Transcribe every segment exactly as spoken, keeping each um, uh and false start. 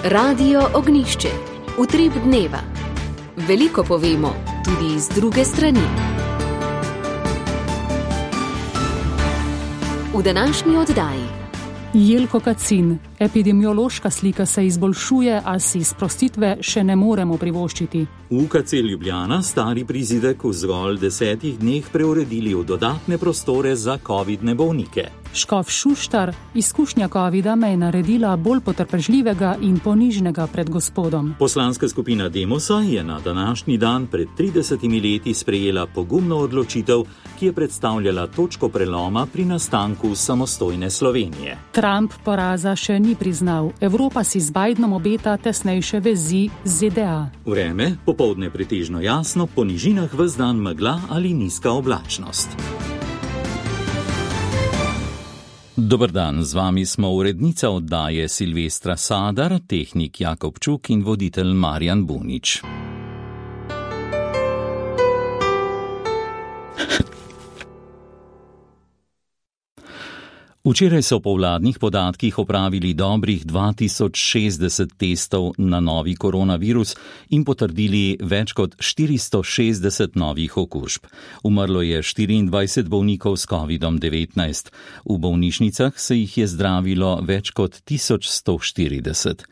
Radio Ognišče, utrip dneva. Veliko povemo, tudi iz druge strani. V današnji oddaji. Jelko Kacin. Epidemiološka slika se izboljšuje, a si sprostitve še ne moremo privoščiti. V U K C Ljubljana stari prizidek v zgolj desetih dneh preuredili v dodatne prostore za covidne bolnike. Škof Šuštar, izkušnja covida me je naredila bolj potrpežljivega in ponižnega pred gospodom. Poslanska skupina Demosa je na današnji dan pred tridesetimi leti sprejela pogumno odločitev, ki je predstavljala točko preloma pri nastanku samostojne Slovenije. Trump poraza še ni priznal. Evropa si z Bidenom obeta tesnejše vezi z Z D A. Vreme, popoldne pretežno jasno, po nižinah ves dan megla ali nizka oblačnost. Dober dan, z vami smo urednica oddaje Silvestra Sadar, tehnik Jakob Čuk in voditelj Marjan Bunič. Včeraj so po vladnih podatkih opravili dobrih dva tisoč šestdeset testov na novi koronavirus in potrdili več kot štiristo šestdeset novih okužb. Umrlo je štiriindvajset bolnikov s kovidom devetnajst. V bolnišnicah se jih je zdravilo več kot tisoč sto štirideset.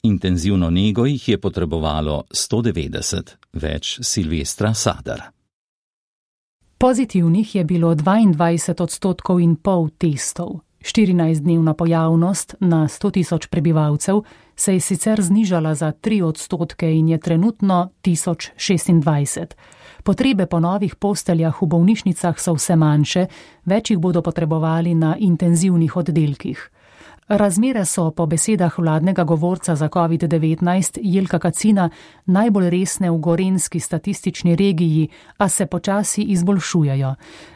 Intenzivno nego jih je potrebovalo sto devetdeset. Več Silvestra Sadar. Pozitivnih je bilo dvaindvajset odstotkov in pol testov. štirinajstdnevna pojavnost na sto tisoč prebivalcev se je sicer znižala za tri odstotke in je trenutno tisoč šestindvajset. Potrebe po novih posteljah v bolnišnicah so vse manjše, več jih bodo potrebovali na intenzivnih oddelkih. Razmere so po besedah vladnega govorca za covid devetnajst Jelka Kacina najbolj resne v gorenjski statistični regiji, a se počasi izboljšujejo.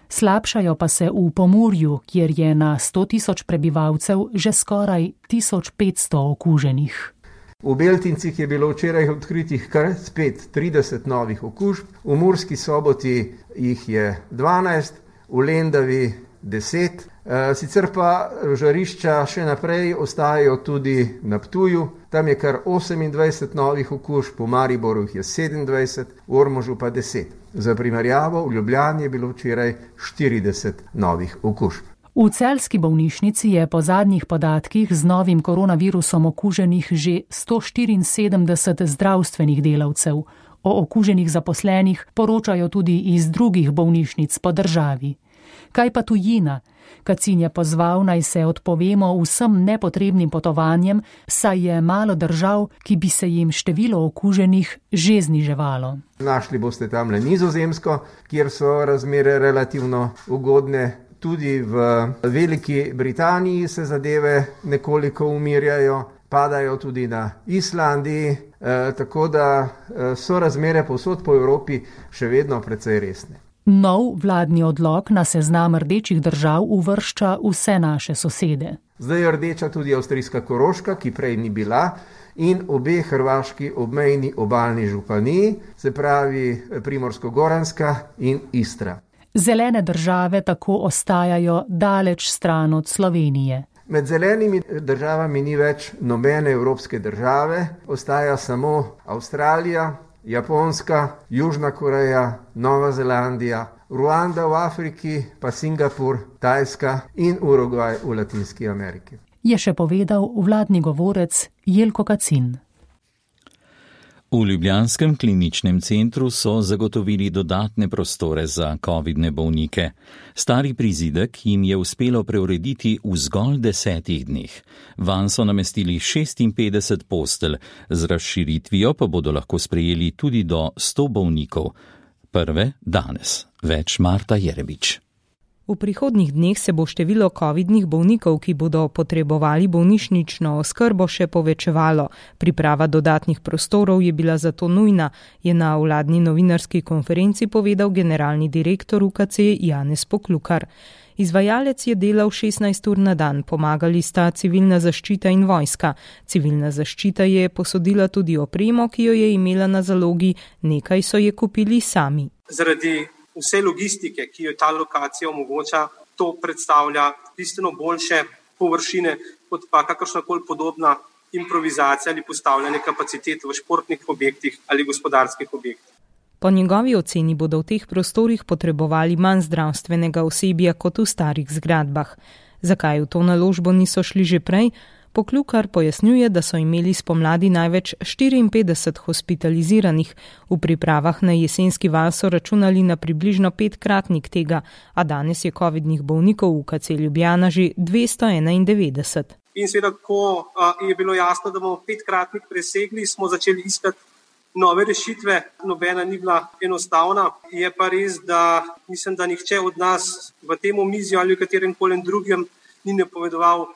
Slabšajo pa se v Pomurju, kjer je na sto tisoč prebivalcev že skoraj tisoč petsto okuženih. V Beltincih je bilo včeraj odkritih kar spet trideset novih okužb, v Murski Soboti jih je dvanajst, v Lendavi deset. Sicer pa žarišča še naprej ostajajo tudi na Ptuju, tam je kar osemindvajset novih okužb, v Mariboru jih je sedemindvajset, v Ormožu pa deset. Za primerjavo, v Ljubljani je bilo včeraj štirideset novih okužb. V celjski bolnišnici je po zadnjih podatkih z novim koronavirusom okuženih že sto štiriinsedemdeset zdravstvenih delavcev. O okuženih zaposlenih poročajo tudi iz drugih bolnišnic po državi. Kaj pa tujina? Kacin je pozval, naj se odpovemo vsem nepotrebnim potovanjem, saj je malo držav, ki bi se jim število okuženih že zniževalo. Našli boste tam le Nizozemsko, kjer so razmere relativno ugodne. Tudi v Veliki Britaniji se zadeve nekoliko umirjajo, padajo tudi na Islandiji, eh, tako da eh, so razmere povsod po Evropi še vedno precej resne. Nov vladni odlok na seznam rdečih držav uvršča vse naše sosede. Zdaj je rdeča tudi avstrijska Koroška, ki prej ni bila, in obe hrvaški obmejni obalni županiji, se pravi Primorsko-Goranska in Istra. Zelene države tako ostajajo daleč stran od Slovenije. Med zelenimi državami ni več nobene evropske države, ostaja samo Avstralija, Japonska, Južna Koreja, Nova Zelandija, Ruanda v Afriki, pa Singapur, Tajska in Urugvaj v Latinski Ameriki. Je še povedal vladni govorec Jelko Kacin. V ljubljanskem kliničnem centru so zagotovili dodatne prostore za covidne bolnike. Stari prizidek jim je uspelo preurediti v zgolj desetih dneh. Vanj so namestili šestinpetdeset postelj, z razširitvijo pa bodo lahko sprejeli tudi do sto bolnikov. Prve danes. Več Marta Jerebič. V prihodnjih dneh se bo število covidnih bolnikov, ki bodo potrebovali bolnišnično oskrbo, še povečevalo. Priprava dodatnih prostorov je bila zato nujna, je na vladni novinarski konferenci povedal generalni direktor U K C Janez Poklukar. Izvajalec je delal šestnajst ur na dan, pomagali sta civilna zaščita in vojska. Civilna zaščita je posodila tudi opremo, ki jo je imela na zalogi, nekaj so je kupili sami. Zaradi vse logistike, ki jo ta lokacija omogoča, to predstavlja bistveno boljše površine kot pa kakršnakoli podobna improvizacija ali postavljanje kapacitet v športnih objektih ali gospodarskih objektih. Po njegovi oceni bodo v teh prostorih potrebovali manj zdravstvenega osebja kot v starih zgradbah. Zakaj v to naložbo niso šli že prej? Poklukar pojasnjuje, da so imeli spomladi največ štiriinpetdeset hospitaliziranih, v pripravah na jesenski val so računali na približno petkratnik tega, a danes je covidnih bolnikov v U K C Ljubljana že dvesto enaindevetdeset. In seveda, ko je bilo jasno, da bomo petkratnik presegli, smo začeli iskati nove rešitve. Nobena ni bila enostavna. Je pa res, da mislim, da nihče od nas v tem omizju ali v katerem koli drugem ni napovedoval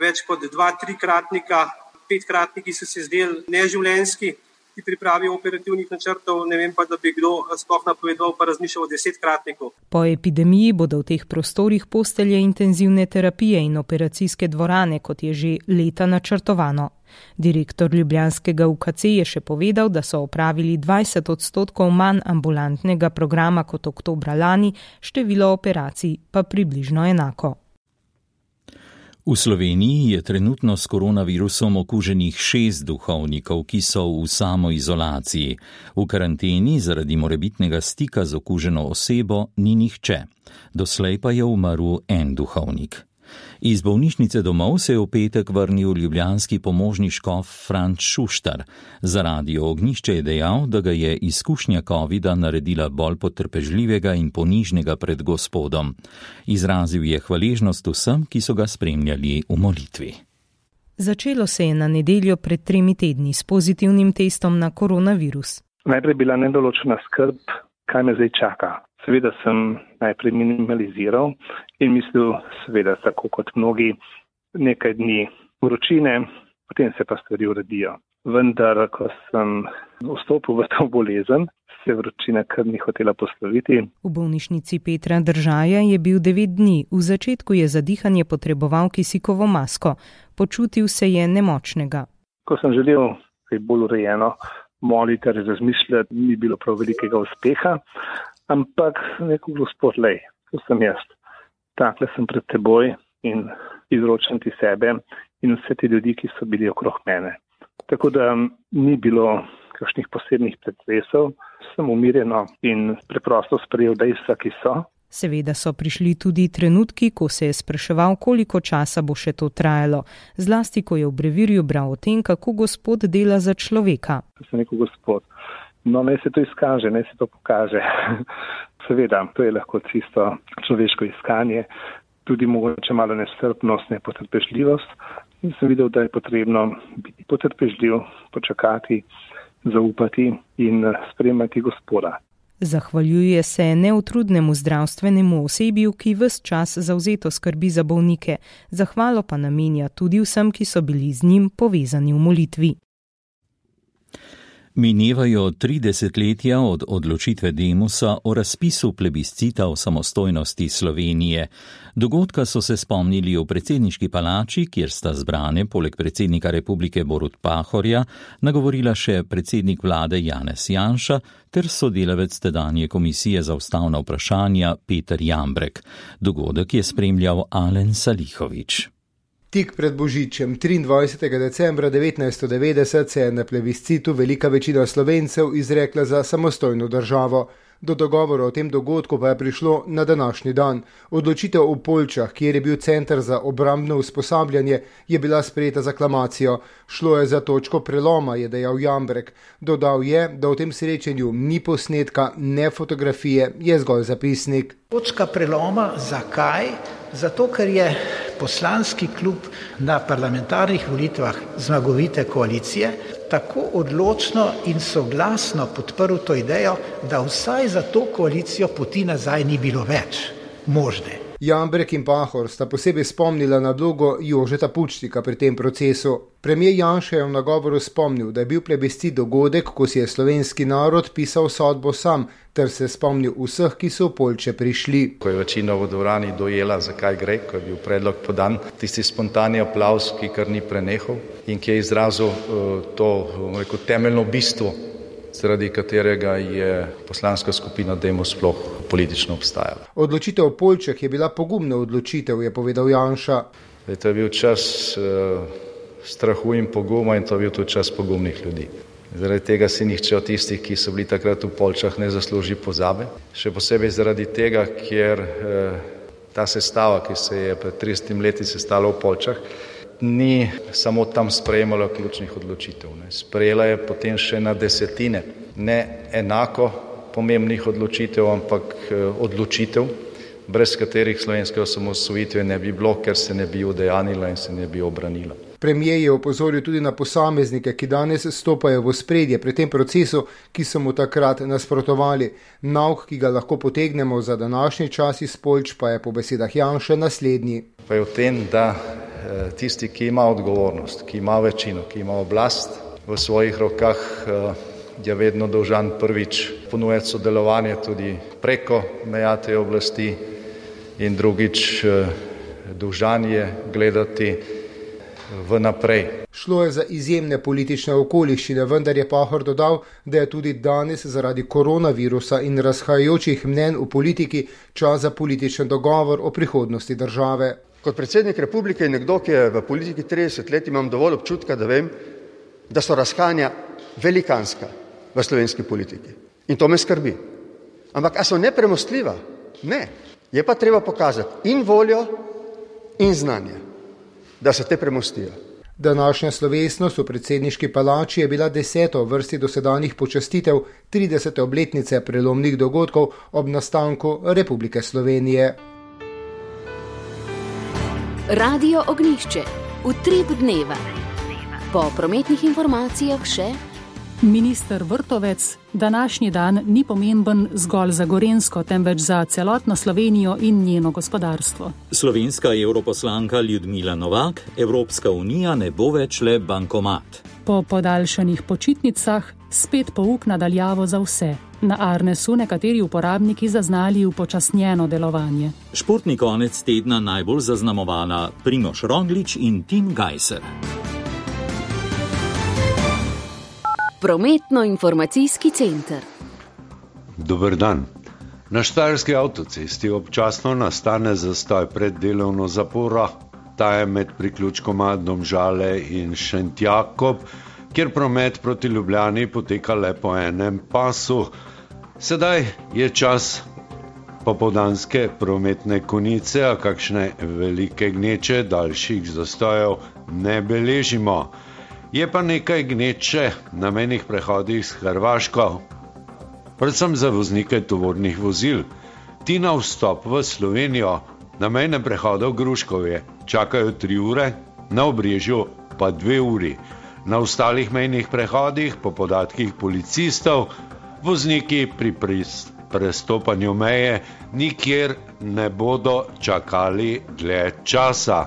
več kot dva, trikratnika. Petkratniki so se zdeli neživljenjski pri pripravi operativnih načrtov, ne vem pa, da bi kdo sploh napovedoval pa razmišljal o desetkratniku. Po epidemiji bodo v teh prostorih postelje intenzivne terapije in operacijske dvorane, kot je že leta načrtovano. Direktor ljubljanskega U K C je še povedal, da so opravili dvajset odstotkov manj ambulantnega programa kot oktobra lani, število operacij pa približno enako. V Sloveniji je trenutno s koronavirusom okuženih šest duhovnikov, ki so v samoizolaciji. V karanteni zaradi morebitnega stika z okuženo osebo ni nihče. Doslej pa je umrl en duhovnik. Iz bolnišnice domov se je v petek vrnil ljubljanski pomožni škof Franc Šuštar. Za Radio Ognjišče je dejal, da ga je izkušnja covida naredila bolj potrpežljivega in ponižnega pred Gospodom. Izrazil je hvaležnost vsem, ki so ga spremljali v molitvi. Začelo se je na nedeljo pred tremi tedni s pozitivnim testom na koronavirus. Najprej bila nedoločena skrb, kaj me zdaj čaka. Seveda sem najprej minimaliziral in mislil, seveda tako kot mnogi, nekaj dni vročine, potem se pa stvari uredijo. Vendar, ko sem vstopil v to bolezen, se vročina kar ni hotela posloviti. V bolnišnici Petra Držaja je bil devet dni. V začetku je za dihanje potreboval kisikovo masko. Počutil se je nemočnega. Ko sem želel kaj bolj urejeno moliti ali razmišljati, ni bilo prav velikega uspeha. Ampak neko Gospod, lej, to sem jaz. Takle sem pred teboj in izročam ti sebe in vse te ljudi, ki so bili okrog mene. Tako da ni bilo kakšnih posebnih pretresov, sem umirjeno in preprosto sprejel dejstva, ki so. Seveda so prišli tudi trenutki, ko se je spraševal, koliko časa bo še to trajalo. Zlasti, ko je v brevirju bral o tem, kako Gospod dela za človeka. To sem rekel, Gospod. No, naj se to izkaže, naj se to pokaže. Seveda, to je lahko čisto človeško iskanje, tudi mogoče malo nestrpnost, nepotrpežljivost. In sem videl, da je potrebno biti potrpežljiv, počakati, zaupati in sprejemati Gospoda. Zahvaljuje se neutrudnemu zdravstvenemu osebju, ki ves čas zavzeto skrbi za bolnike. Zahvalo pa namenja tudi vsem, ki so bili z njim povezani v molitvi. Minevajo tri desetletja od odločitve Demosa o razpisu plebiscita o samostojnosti Slovenije. Dogodka so se spomnili v predsedniški palači, kjer sta zbrane poleg predsednika republike Borut Pahorja nagovorila še predsednik vlade Janez Janša ter sodelavec tedanje komisije za ustavna vprašanja Peter Jambrek. Dogodek je spremljal Alen Salihović. Tik pred Božičem, triindvajsetega decembra devetnajststo devetdeset, se je na plebiscitu velika večina Slovencev izrekla za samostojno državo. Do dogovora o tem dogodku pa je prišlo na današnji dan. Odločitev v Poljčah, kjer je bil center za obrambno usposabljanje, je bila sprejeta z aklamacijo. Šlo je za točko preloma, je dejal Jambrek. Dodal je, da v tem srečanju ni posnetka, ne fotografije, je zgolj zapisnik. Točka preloma, zakaj? Zato, ker je poslanski klub na parlamentarnih volitvah zmagovite koalicije tako odločno in soglasno podprl to idejo, da vsaj za to koalicijo poti nazaj ni bilo več možne. Jambrek in Pahor sta posebej spomnila na vlogo Jožeta Pučnika pri tem procesu. Premijer Janša je v nagovoru spomnil, da je bil plebiscit dogodek, ko si je slovenski narod pisal sodbo sam, ter se spomnil vseh, ki so v Poljče prišli. Ko je večina v dvorani dojela, zakaj gre, ko je bil predlog podan, tisti spontani aplavz, ki kar ni prenehal in ki je izrazil uh, to rekel, temeljno bistvo, zaradi katerega je poslanska skupina Demos sploh politično obstajala. Odločitev v Poljčah je bila pogumna odločitev, je povedal Janša. To je bil čas uh, strahu in poguma in to je bil tudi čas pogumnih ljudi. Zaradi tega si nihče od tistih, ki so bili takrat v Poljčah, ne zasluži pozabe. Še posebej zaradi tega, ker eh, ta sestava, ki se je pred tridesetimi leti sestala v Poljčah, ni samo tam sprejemala ključnih odločitev. Ne. Sprejela je potem še na desetine, ne enako pomembnih odločitev, ampak eh, odločitev, brez katerih slovenske osamosvojitve ne bi bilo, ker se ne bi udejanila in se ne bi obranila. Premijer je opozoril tudi na posameznike, ki danes stopajo v ospredje pri tem procesu, ki so mu takrat nasprotovali. Nauk, ki ga lahko potegnemo za današnji čas iz Poljč, pa je po besedah Janše naslednji. Pa je v tem, da tisti, ki ima odgovornost, ki ima večino, ki ima oblast v svojih rokah, je vedno dolžan prvič ponujati sodelovanje tudi preko meja te oblasti in drugič dolžan je gledati vnaprej. Šlo je za izjemne politične okoliščine, vendar je Pahor dodal, da je tudi danes zaradi koronavirusa in razhajajočih mnenj v politiki čas za političen dogovor o prihodnosti države. Kot predsednik republike in nekdo, ki je v politiki trideset let, imam dovolj občutka, da vem, da so razhajanja velikanska v slovenski politiki. In to me skrbi. Ampak a so nepremostljiva? Ne. Je pa treba pokazati in voljo in znanje, da se te premostijo. Današnja slovesnost v predsedniški palači je bila deseta v vrsti dosedanjih počastitev tridesete obletnice prelomnih dogodkov ob nastanku Republike Slovenije. Radio Ognjišče. Utrip dneva. Po prometnih informacijah še minister Vrtovec, današnji dan ni pomemben zgolj za Gorenjsko, temveč za celotno Slovenijo in njeno gospodarstvo. Slovenska europoslanka Ljudmila Novak, Evropska unija ne bo več le bankomat. Po podaljšanih počitnicah spet pouk nadaljavo za vse. Na Arnesu nekateri uporabniki zaznali upočasnjeno delovanje. Športni konec tedna najbolj zaznamovala Primož Roglič in Tim Gajser. Prometno-informacijski center. Dober dan. Na štajerski avtocesti občasno nastane zastoj pred delovno zaporo. Ta je med priključkoma Domžale in Šentjakob, kjer promet proti Ljubljani poteka le po enem pasu. Sedaj je čas popoldanske prometne konice, a kakšne velike gneče daljših zastojev ne beležimo. Je pa nekaj gneče na mejnih prehodih s Hrvaško, predvsem za voznike tovornih vozil. Ti na vstop v Slovenijo na mejnem prehodu v Gruškovje čakajo tri ure, na Obrežju pa dve uri. Na ostalih mejnih prehodih, po podatkih policistov, vozniki pri prestopanju meje nikjer ne bodo čakali dlje časa.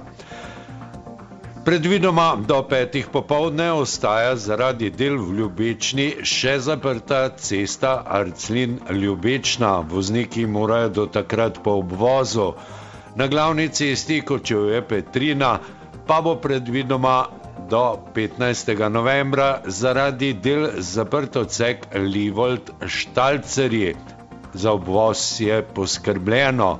Predvidoma do petih popoldne ostaja zaradi del v Ljubečni še zaprta cesta Arclin-Ljubečna. Vozniki morajo do takrat po obvozu. Na glavni cesti Kočevje-Petrina pa bo predvidoma do petnajstega novembra zaradi del zaprt odsek Livold-Štalcerji. Za obvoz je poskrbljeno.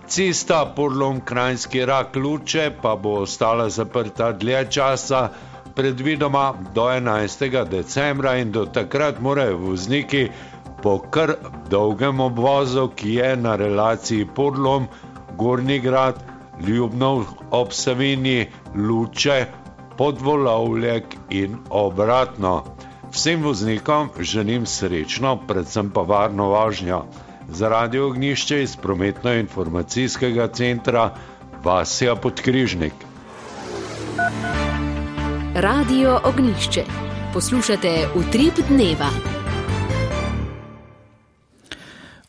Cesta Porlom-Kranjski Rak-Luče pa bo ostala zaprta dlje časa, predvidoma do enajstega decembra in do takrat morajo vozniki po kar dolgem obvozu, ki je na relaciji Porlom, Gornji Grad, Ljubnov ob Savinji, Luče, Podvolovljek in obratno. Vsem voznikom želim srečno, predvsem pa varno vožnjo. Za Radio Ognjišče iz prometno-informacijskega centra Vasja Podkrižnik. Radio Ognjišče. Poslušate Utrip dneva.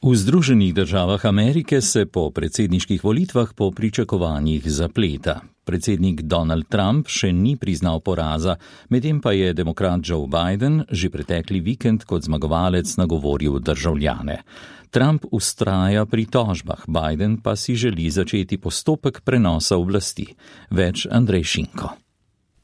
V Združenih državah Amerike se po predsedniških volitvah po pričakovanjih zapleta. Predsednik Donald Trump še ni priznal poraza, medtem pa je demokrat Joe Biden že pretekli vikend kot zmagovalec nagovoril državljane. Trump vztraja pri tožbah, Biden pa si želi začeti postopek prenosa oblasti. Več Andrej Šinko.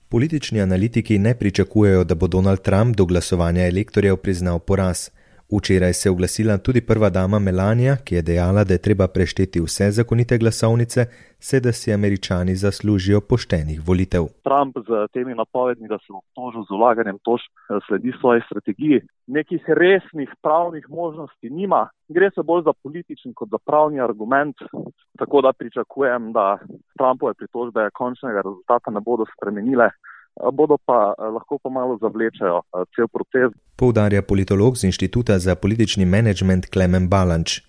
Politični analitiki ne pričakujejo, da bo Donald Trump do glasovanja elektorjev priznal poraz. Včeraj se je oglasila tudi prva dama Melania, ki je dejala, da je treba prešteti vse zakonite glasovnice, saj da si Američani zaslužijo poštenih volitev. Trump z temi napovedmi, da se bo obtožil z vlaganjem tožb, sledi svoji strategiji. Nekih resnih pravnih možnosti nima. Gre se bolj za političen kot za pravni argument, tako da pričakujem, da Trumpove pritožbe končnega rezultata ne bodo spremenile. Bodo pa lahko pa malo zavlečajo cel proces. Poudarja politolog z Inštituta za politični menedžment Klemen Balanč.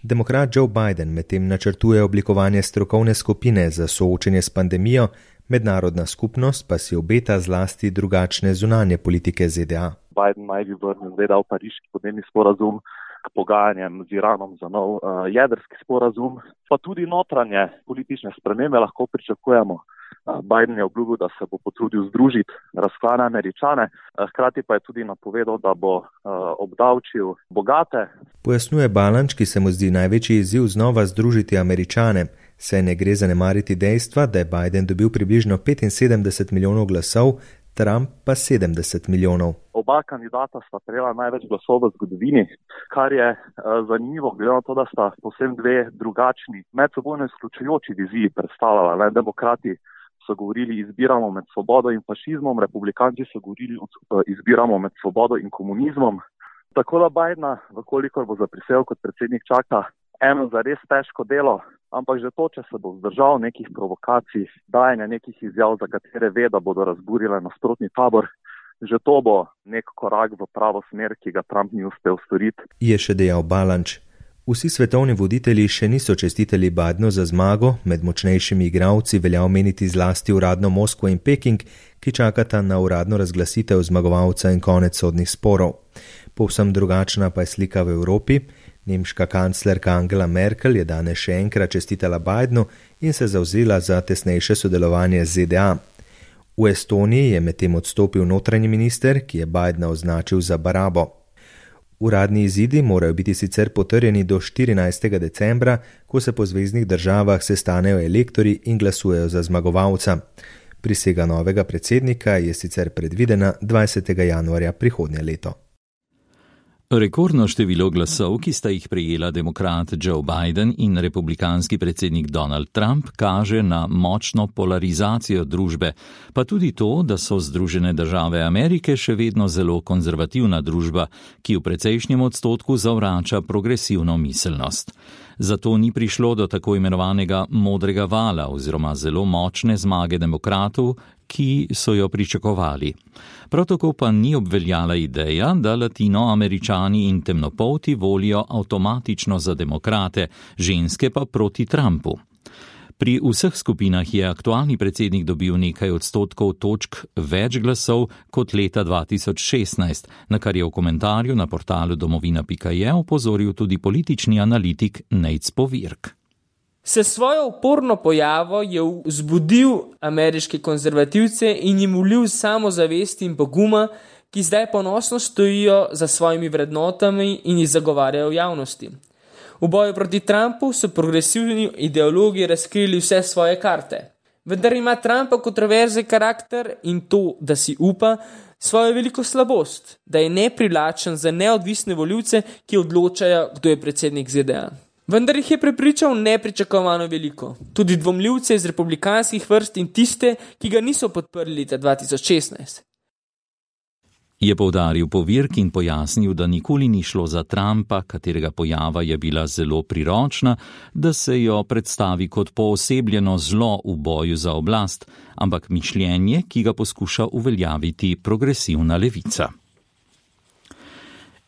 Demokrat Joe Biden medtem načrtuje oblikovanje strokovne skupine za soočenje s pandemijo, mednarodna skupnost pa si obeta zlasti drugačne zunanje politike Z D A. Biden naj bi vrnil zvedal Pariški podnebni sporazum k pogajanjem z Iranom za nov uh, jedrski sporazum, pa tudi notranje politične spremembe lahko pričakujemo. Biden je obljubil, da se bo potrudil združiti razklane Američane, hkrati pa je tudi napovedal, da bo uh, obdavčil bogate. Pojasnjuje Balanč, ki se mu zdi največji izziv znova združiti Američane, saj ne gre zanemariti dejstva, da je Biden dobil približno petinsedemdeset milijonov glasov, Trump pa sedemdeset milijonov. Oba kandidata sta prejela največ glasov v zgodovini, kar je uh, zanimivo, glede na to, da sta povsem dve drugačni, medsebojno izključujoči viziji predstavljala. Ne? Demokrati so govorili, izbiramo med svobodo in fašizmom, republikanci so govorili, izbiramo med svobodo in komunizmom. Tako da Bidena, vkolikor bo zaprisel kot predsednik, čaka eno za res težko delo, ampak že to, če se bo vzdržal nekih provokacij, dajanja nekih izjav, za katere ve, da bodo razburile nasprotni tabor, že to bo nek korak v pravo smer, ki ga Trump ni uspel storiti. Je še dejal Balanč. Vsi svetovni voditelji še niso čestitali Bidenu za zmago, med močnejšimi igralci velja omeniti zlasti uradno Moskvo in Peking, ki čakata na uradno razglasitev zmagovalca in konec sodnih sporov. Povsem drugačna pa je slika v Evropi. Nemška kanclerka Angela Merkel je danes še enkrat čestitala Bidenu in se zavzela za tesnejše sodelovanje z Z D A. V Estoniji je medtem odstopil notranji minister, ki je Bidena označil za barabo. Uradni izidi morajo biti sicer potrjeni do štirinajstega decembra, ko se po zveznih državah sestanejo elektori in glasujejo za zmagovalca. Prisega novega predsednika je sicer predvidena dvajsetega januarja prihodnje leto. Rekordno število glasov, ki sta jih prejela demokrat Joe Biden in republikanski predsednik Donald Trump, kaže na močno polarizacijo družbe, pa tudi to, da so Združene države Amerike še vedno zelo konzervativna družba, ki v precejšnjem odstotku zavrača progresivno miselnost. Zato ni prišlo do tako imenovanega modrega vala oziroma zelo močne zmage demokratov, ki so jo pričakovali. Prav tako pa ni obveljala ideja, da Latinoameričani in temnopolti volijo avtomatično za demokrate, ženske pa proti Trumpu. Pri vseh skupinah je aktualni predsednik dobil nekaj odstotkov točk več glasov kot leta dva tisoč šestnajst, na kar je v komentarju na portalu domovina pika je opozoril tudi politični analitik Nate Spovirk. Se svojo uporno pojavo je vzbudil ameriške konzervativce in jim vlil samozavest in poguma, ki zdaj ponosno stojijo za svojimi vrednotami in jih zagovarjajo v javnosti. V boju proti Trumpu so progresivni ideologi razkrili vse svoje karte. Vendar ima Trumpa kontroverzen karakter in to, da si upa, svojo veliko slabost, da je neprivlačen za neodvisne volivce, ki odločajo, kdo je predsednik Z D A. Vendar jih je prepričal nepričakovano veliko, tudi dvomljivce iz republikanskih vrst in tiste, ki ga niso podprli leta dva tisoč šestnajst. Je poudaril Povirk in pojasnil, da nikoli ni šlo za Trumpa, katerega pojava je bila zelo priročna, da se jo predstavi kot poosebljeno zlo v boju za oblast, ampak mišljenje, ki ga poskuša uveljaviti progresivna levica.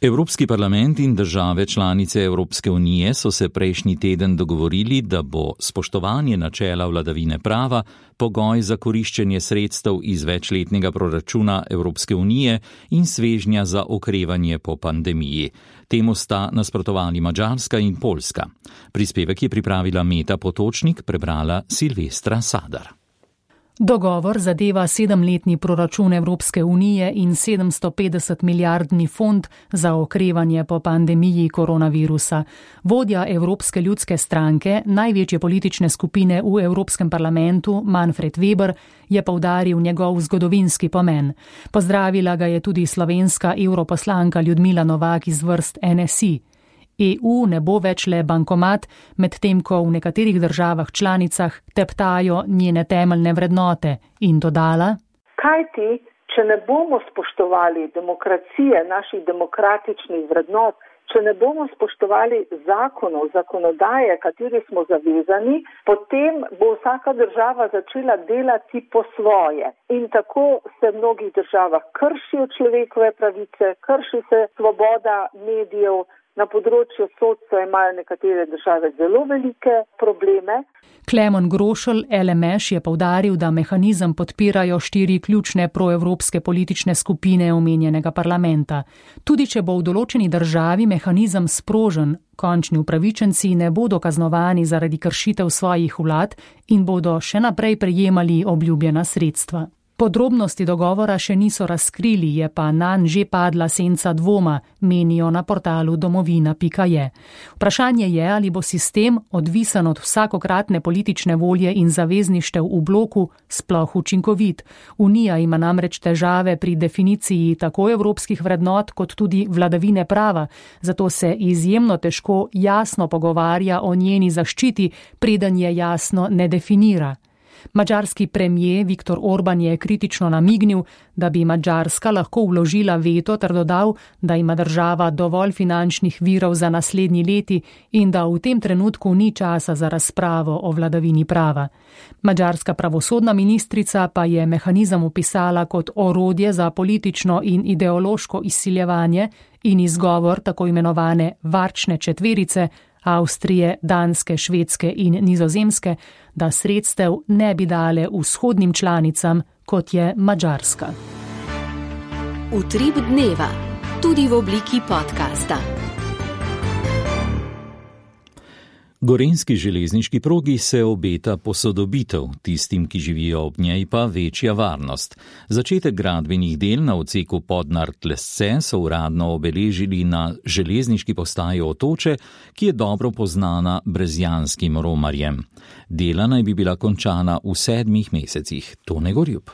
Evropski parlament in države članice Evropske unije so se prejšnji teden dogovorili, da bo spoštovanje načela vladavine prava pogoj za koriščenje sredstev iz večletnega proračuna Evropske unije in svežnja za okrevanje po pandemiji. Temu sta nasprotovali Madžarska in Poljska. Prispevek je pripravila Meta Potočnik, prebrala Silvestra Sadar. Dogovor zadeva sedemletni proračun Evropske unije in sedemsto petdeset milijardni fond za okrevanje po pandemiji koronavirusa. Vodja Evropske ljudske stranke, največje politične skupine v Evropskem parlamentu, Manfred Weber, je poudaril njegov zgodovinski pomen. Pozdravila ga je tudi slovenska europoslanka Ljudmila Novak iz vrst N S I. E U ne bo več le bankomat, medtem ko v nekaterih državah članicah teptajo njene temeljne vrednote, in dodala: Kajti, če ne bomo spoštovali demokracije, naših demokratičnih vrednot, če ne bomo spoštovali zakonov, zakonodaje, kateri smo zavezani, potem bo vsaka država začela delati po svoje. In tako se v mnogih državah kršijo človekove pravice, krši se svoboda medijev. Na področju sodstva imajo nekatere države zelo velike probleme. Klemon Grošelj, L M Š, je poudaril, da mehanizem podpirajo štiri ključne proevropske politične skupine omenjenega parlamenta. Tudi če bo v določeni državi mehanizem sprožen, končni upravičenci ne bodo kaznovani zaradi kršitev svojih vlad in bodo še naprej prejemali obljubljena sredstva. Podrobnosti dogovora še niso razkrili, je pa nanj že padla senca dvoma, menijo na portalu domovina pika je. Vprašanje je, ali bo sistem, odvisen od vsakokratne politične volje in zavezništev v bloku, sploh učinkovit. Unija ima namreč težave pri definiciji tako evropskih vrednot kot tudi vladavine prava, zato se izjemno težko jasno pogovarja o njeni zaščiti, preden je jasno ne definira. Madžarski premijer Viktor Orban je kritično namignil, da bi Madžarska lahko vložila veto ter dodal, da ima država dovolj finančnih virov za naslednji leti in da v tem trenutku ni časa za razpravo o vladavini prava. Madžarska pravosodna ministrica pa je mehanizem opisala kot orodje za politično in ideološko izsiljevanje in izgovor tako imenovane varčne četverice, Avstrije, Danske, Švedske in Nizozemske, da sredstev ne bi dale vzhodnim članicam, kot je Madžarska. Utrip dneva, tudi v obliki podcasta. Gorenjski železniški progi se obeta posodobitev, tistim, ki živijo ob njej, pa večja varnost. Začetek gradbenih del na odseku Podnart-Lesce so uradno obeležili na železniški postaji Otoče, ki je dobro poznana brezjanskim romarjem. Dela naj bi bila končana v sedmih mesecih. Tone Gorjup.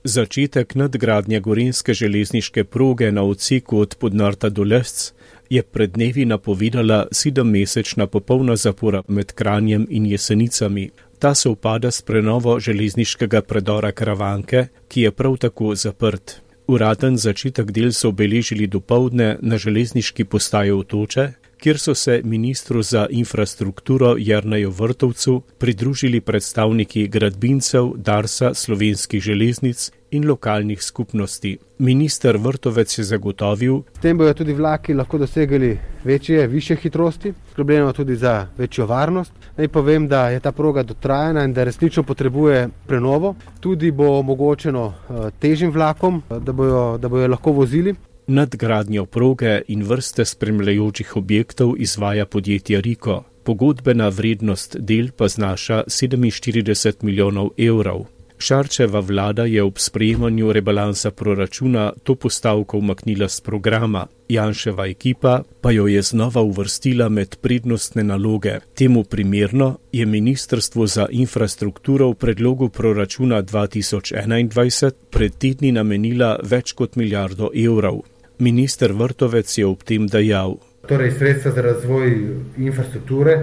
Začetek nadgradnje gorenjske železniške proge na odseku od Podnarta do Lesc je pred dnevi napovedala sedemmesečna popolna zapora med Kranjem in Jesenicami. Ta se upada s prenovo železniškega predora Karavanke, ki je prav tako zaprt. Uraden začetek del so obeležili dopoldne na železniški postaji Otoče, kjer so se ministru za infrastrukturo Jerneju Vrtovcu pridružili predstavniki gradbincev, Darsa, slovenskih železnic in lokalnih skupnosti. Minister Vrtovec je zagotovil, s tem bojo tudi vlaki lahko dosegali večje, više hitrosti, skrbljeno tudi za večjo varnost. Naj povem, da je ta proga dotrajana in da resnično potrebuje prenovo. Tudi bo omogočeno težjim vlakom, da bojo, da bojo lahko vozili. Nadgradnjo proge in vrste spremljajočih objektov izvaja podjetje Riko. Pogodbena vrednost del pa znaša sedeminštirideset milijonov evrov. Šarčeva vlada je ob sprejemanju rebalansa proračuna to postavko umaknila z programa. Janševa ekipa pa jo je znova uvrstila med prednostne naloge. Temu primerno je Ministrstvo za infrastrukturo v predlogu proračuna dva tisoč enaindvajset pred tedni namenila več kot milijardo evrov. Minister Vrtovec je ob tem dejal: Torej, sredstva za razvoj infrastrukture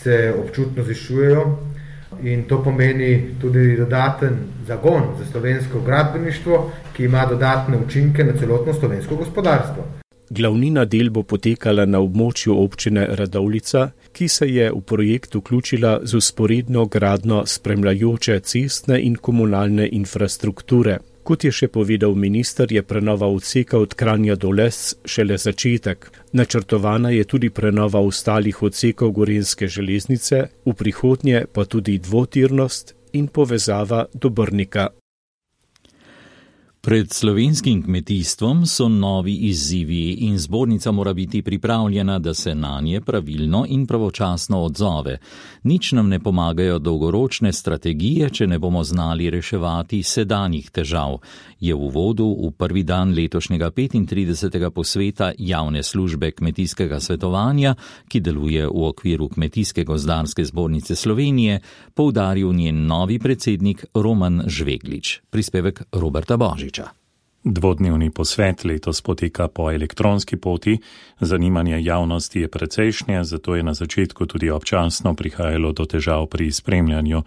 se občutno zvišujejo in to pomeni tudi dodaten zagon za slovensko gradbeništvo, ki ima dodatne učinke na celotno slovensko gospodarstvo. Glavnina del bo potekala na območju občine Radovljica, ki se je v projekt vključila z vzporedno gradnjo spremljajoče cestne in komunalne infrastrukture. Kot je še povedal minister, je prenova odseka od Kranja do Lesc šele začetek. Načrtovana je tudi prenova ostalih odsekov gorenjske železnice, v prihodnje pa tudi dvotirnost in povezava do Brnika. Pred slovenskim kmetijstvom so novi izzivi in zbornica mora biti pripravljena, da se na nje pravilno in pravočasno odzove. Nič nam ne pomagajo dolgoročne strategije, če ne bomo znali reševati sedanjih težav, je v uvodu v prvi dan letošnjega petintridesetega posveta javne službe kmetijskega svetovanja, ki deluje v okviru Kmetijske gozdarske zbornice Slovenije, poudaril njen novi predsednik Roman Žveglič. Prispevek Roberta Božiča. Dvodnevni posvet letos poteka po elektronski poti, zanimanje javnosti je precejšnje, zato je na začetku tudi občasno prihajalo do težav pri spremljanju.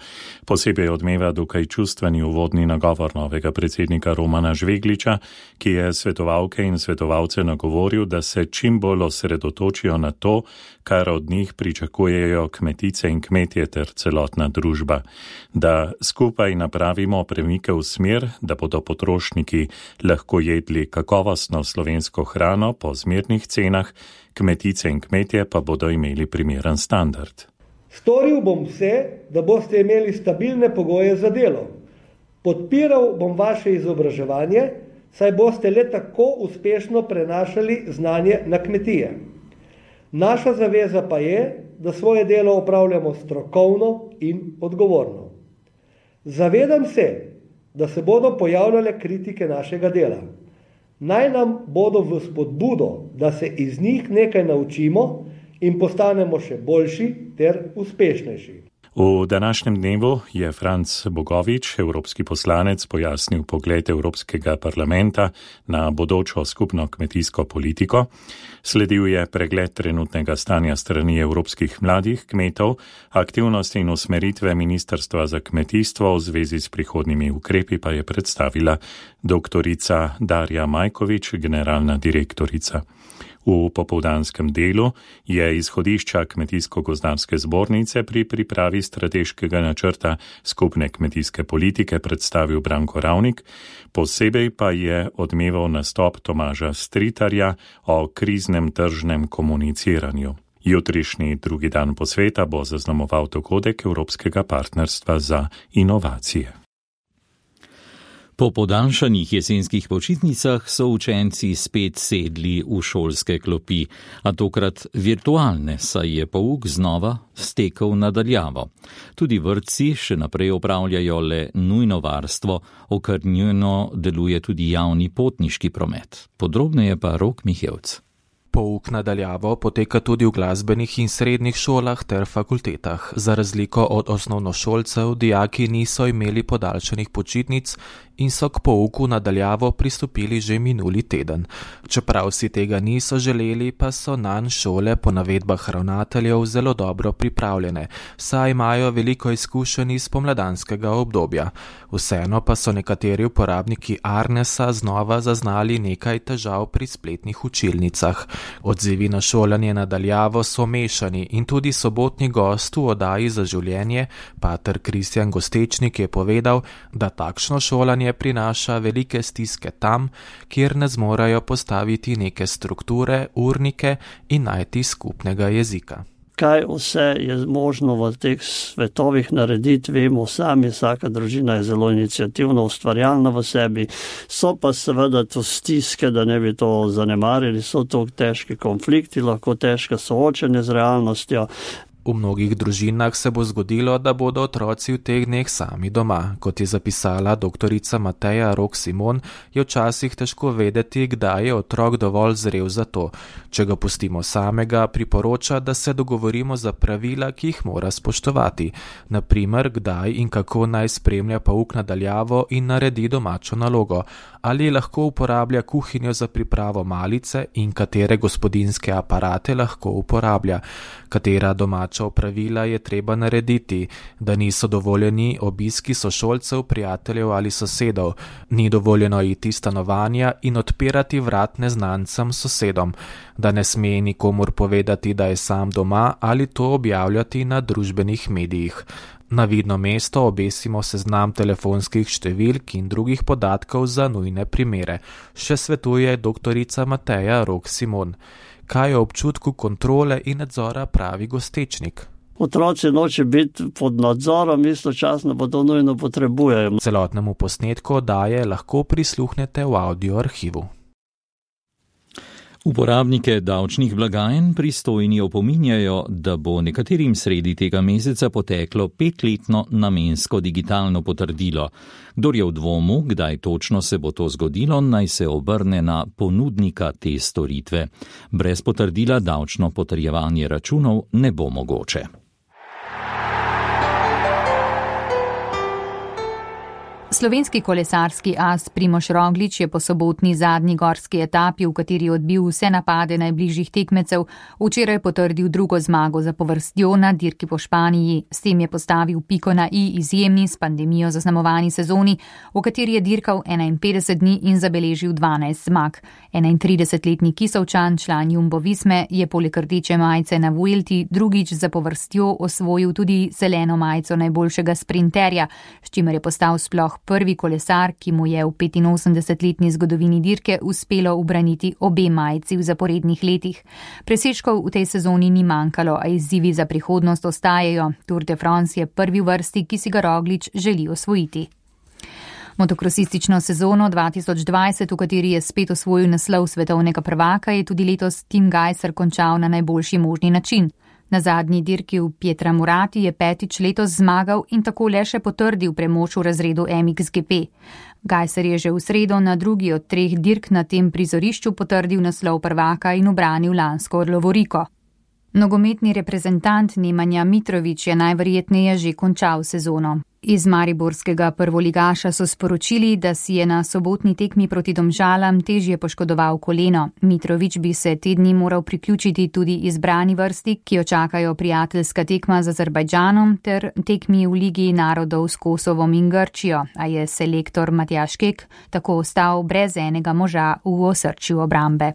Posebej odmeva dokaj čustveni uvodni nagovor novega predsednika Romana Žvegliča, ki je svetovalke in svetovalce nagovoril, da se čim bolj osredotočijo na to, kar od njih pričakujejo kmetice in kmetje ter celotna družba. Da skupaj napravimo premike v smer, da bodo potrošniki lahko jedli kakovostno slovensko hrano po zmernih cenah, kmetice in kmetje pa bodo imeli primeren standard. Storil bom vse, da boste imeli stabilne pogoje za delo. Podpiral bom vaše izobraževanje, saj boste le tako uspešno prenašali znanje na kmetije. Naša zaveza pa je, da svoje delo opravljamo strokovno in odgovorno. Zavedam se, da se bodo pojavljale kritike našega dela. Naj nam bodo v spodbudo, da se iz njih nekaj naučimo in postanemo še boljši ter uspešnejši. V današnjem dnevu je Franc Bogovič, evropski poslanec, pojasnil pogled Evropskega parlamenta na bodočo skupno kmetijsko politiko. Sledil je pregled trenutnega stanja strani evropskih mladih kmetov, aktivnosti in usmeritve Ministrstva za kmetijstvo v zvezi s prihodnjimi ukrepi pa je predstavila doktorica Darja Majkovič, generalna direktorica. V popoldanskem delu je izhodišča Kmetijsko-gozdarske zbornice pri pripravi strateškega načrta skupne kmetijske politike predstavil Branko Ravnik, posebej pa je odmeval nastop Tomaža Stritarja o kriznem tržnem komuniciranju. Jutrišnji drugi dan posveta bo zaznamoval dogodek Evropskega partnerstva za inovacije. Po podaljšanih jesenskih počitnicah so učenci spet sedli v šolske klopi, a tokrat virtualne, saj je pouk znova stekel nadaljavo. Tudi vrtci še naprej opravljajo le nujno varstvo, okrnjeno deluje tudi javni potniški promet. Podrobneje pa Rok Mihevc. Pouk nadaljavo poteka tudi v glasbenih in srednjih šolah ter fakultetah. Za razliko od osnovnošolcev, dijaki niso imeli podaljšanih počitnic in so k pouku nadaljavo pristopili že minuli teden. Čeprav si tega niso želeli, pa so nanj šole po navedbah ravnateljev zelo dobro pripravljene, saj imajo veliko izkušenj iz pomladanskega obdobja. Vseeno pa so nekateri uporabniki Arnesa znova zaznali nekaj težav pri spletnih učilnicah. Odzivi na šolanje nadaljavo so mešani in tudi sobotni gost v oddaji Za življenje, pater Kristjan Gostečnik, je povedal, da takšno šolanje prinaša velike stiske tam, kjer ne zmorajo postaviti neke strukture, urnike in najti skupnega jezika. Kaj vse je možno v teh svetovih narediti, vemo sami, vsaka družina je zelo iniciativna, ustvarjalna v sebi, so pa seveda to stiske, da ne bi to zanemarili, so to težki konflikti, lahko težka soočenje z realnostjo. V mnogih družinah se bo zgodilo, da bodo otroci v teh dneh sami doma. Kot je zapisala doktorica Mateja Rok Simon, je včasih težko vedeti, kdaj je otrok dovolj zrel za to. Če ga pustimo samega, priporoča, da se dogovorimo za pravila, ki jih mora spoštovati. Naprimer, kdaj in kako naj spremlja pouk nadaljavo in naredi domačo nalogo. Ali lahko uporablja kuhinjo za pripravo malice in katere gospodinjske aparate lahko uporablja. Katera domača opravila je treba narediti, da niso dovoljeni obiski sošolcev, prijateljev ali sosedov, ni dovoljeno iti stanovanja in odpirati vrat neznancem sosedom, da ne sme nikomur povedati, da je sam doma ali to objavljati na družbenih medijih. Na vidno mesto obesimo seznam telefonskih številk in drugih podatkov za nujne primere, še svetuje doktorica Mateja Rok Simon. Kaj o občutku kontrole in nadzora pravi Gostečnik? Otroci noče biti pod nadzorom, istočasno pa to nujno potrebujejo. Celotnemu posnetku oddaje lahko prisluhnete v audio arhivu. Uporabnike davčnih blagajn pristojni opominjajo, da bo nekaterim sredi tega meseca poteklo petletno namensko digitalno potrdilo. Kdor je v dvomu, kdaj točno se bo to zgodilo, naj se obrne na ponudnika te storitve. Brez potrdila davčno potrjevanje računov ne bo mogoče. Slovenski kolesarski as Primož Roglič je po sobotni zadnji gorski etapi, v kateri je odbil vse napade najbližjih tekmecev, včeraj potrdil drugo zmago zapovrstjo na dirki po Španiji. S tem je postavil piko na i izjemni s pandemijo zaznamovani sezoni, v kateri je dirkal enainpetdeset dni in zabeležil dvanajst zmag. enaintridesetletni Kisovčan, član Jumbo Visme, je poleg rdeče majice na Vuelti drugič zapovrstjo osvojil tudi zeleno majico najboljšega sprinterja, s čimer je postal sploh prvi kolesar, ki mu je v petinosemdesetletni zgodovini dirke uspelo ubraniti obe majici v zaporednih letih. Presežkov v tej sezoni ni manjkalo, a izzivi za prihodnost ostajajo. Tour de France je prvi v vrsti, ki si ga Roglič želi osvojiti. Motokrosistično sezono dva tisoč dvajset, v kateri je spet osvojil naslov svetovnega prvaka, je tudi letos Tim Gajser končal na najboljši možni način. Na zadnji dirki v Pietramaroti je petič letos zmagal in tako le še potrdil premoč v razredu M X G P. Gajser je že v sredo na drugi od treh dirk na tem prizorišču potrdil naslov prvaka in ubranil lansko lovoriko. Nogometni reprezentant Nemanja Mitrović je najverjetneje že končal sezono. Iz mariborskega prvoligaša so sporočili, da si je na sobotni tekmi proti Domžalam težje poškodoval koleno. Mitrović bi se te dni moral priključiti tudi izbrani vrsti, ki jo čakajo prijateljska tekma z Azerbajdžanom ter tekmi v Ligi narodov s Kosovom in Grčijo, a je selektor Matjaž Kek tako ostal brez enega moža v osrčju obrambe.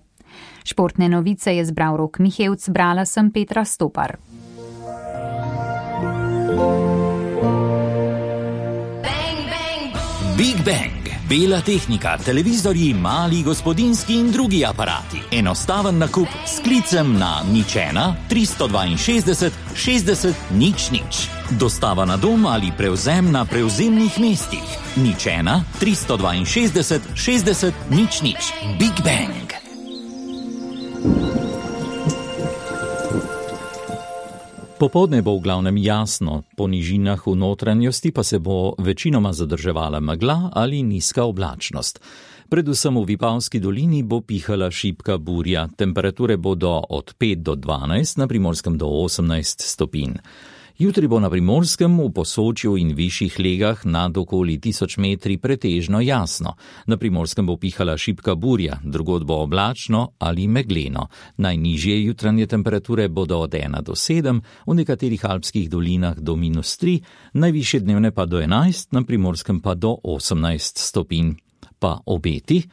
Športne novice je zbral Rok Mihevc, brala sem Petra Stopar. Big Bang, bela tehnika, televizorji, mali gospodinski in drugi aparati. Enostaven nakup s klicem na nič ena tristo dvainšestdeset šestdeset nič nič. Dostava na dom ali prevzem na prevzemnih mestih. nič ena tristo dvainšestdeset šestdeset nič nič. Big Bang. Popoldne bo v glavnem jasno, po nižinah v notranjosti pa se bo večinoma zadrževala megla ali nizka oblačnost. Predvsem v Vipavski dolini bo pihala šibka burja, temperature bodo od pet do dvanajst, na Primorskem do osemnajst stopinj. Jutri bo na Primorskem, v Posočju in višjih legah nad okoli tisoč metri pretežno jasno. Na Primorskem bo pihala šibka burja, drugod bo oblačno ali megleno. Najnižje jutranje temperature bodo od ena do sedem, v nekaterih alpskih dolinah do minus tri, najvišje dnevne pa do enajst, na Primorskem pa do osemnajst stopinj. Pa obeti?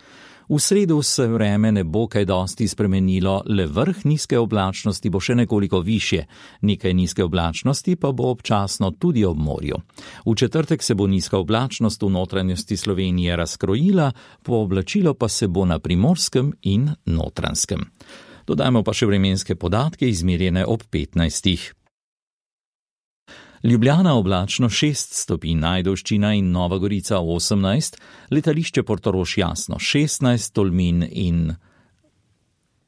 V sredo se vreme ne bo kaj dosti spremenilo, le vrh nizke oblačnosti bo še nekoliko višje. Nekaj nizke oblačnosti pa bo občasno tudi ob morju. V četrtek se bo nizka oblačnost v notranjosti Slovenije razkrojila, pooblačilo pa se bo na Primorskem in Notranjskem. Dodajmo pa še vremenske podatke, izmerjene ob petnajstih. Ljubljana oblačno šest stopinj, Ajdovščina in Nova Gorica osemnajst, letališče Portorož jasno šestnajst, Tolmin in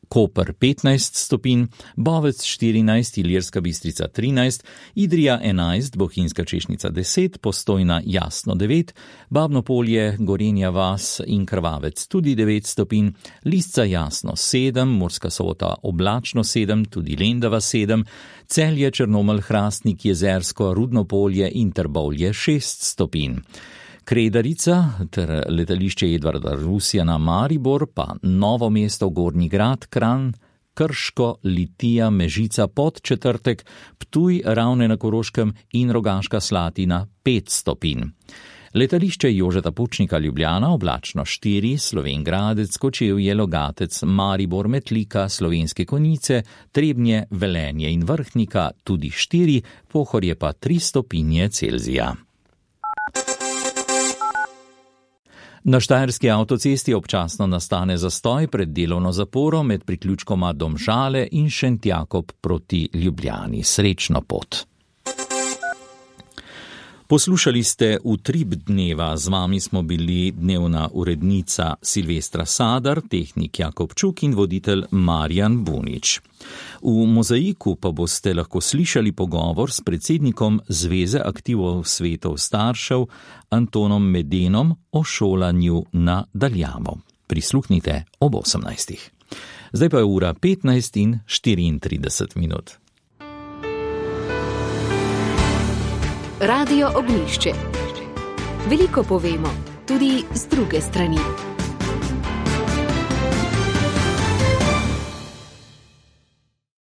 Koper petnajst stopinj, Bovec štirinajst, Ilirska Bistrica trinajst, Idrija enajst, Bohinjska Češnica deset, Postojna jasno devet, Babno Polje, Gorenja vas in Krvavec tudi devet stopinj, Lisca jasno sedem, Murska Sobota oblačno sedem, tudi Lendava sedem, Celje, Črnomelj, Hrastnik, Jezersko, Rudno Polje in Trbovlje šest stopinj. Kredarica ter letališče Edvarda Rusjana Maribor, pa Novo mesto, Gornji Grad, Kranj, Krško, Litija, Mežica, Podčetrtek, Ptuj, Ravne na Koroškem in Rogaška Slatina pet stopinj. Letališče Jožeta Pučnika Ljubljana oblačno štiri, Slovenj Gradec, Kočevje, Logatec, Maribor, Metlika, Slovenske Konjice, Trebnje, Velenje in Vrhnika tudi štiri, Pohorje pa tri stopinje Celzija. Na štajerski avtocesti občasno nastane zastoj pred delovno zaporo med priključkoma Domžale in Šentjakob proti Ljubljani. Srečno pot. Poslušali ste Utrip dneva, z vami smo bili dnevna urednica Silvestra Sadar, tehnik Jakobčuk in voditelj Marjan Bunič. V Mozaiku pa boste lahko slišali pogovor s predsednikom Zveze aktivov svetov staršev Antonom Medenom o šolanju na daljavo. Prisluhnite ob osemnajstih. Zdaj pa je ura petnajst in štiriintrideset minut. Radio Ognjišče. Veliko povemo, tudi z druge strani.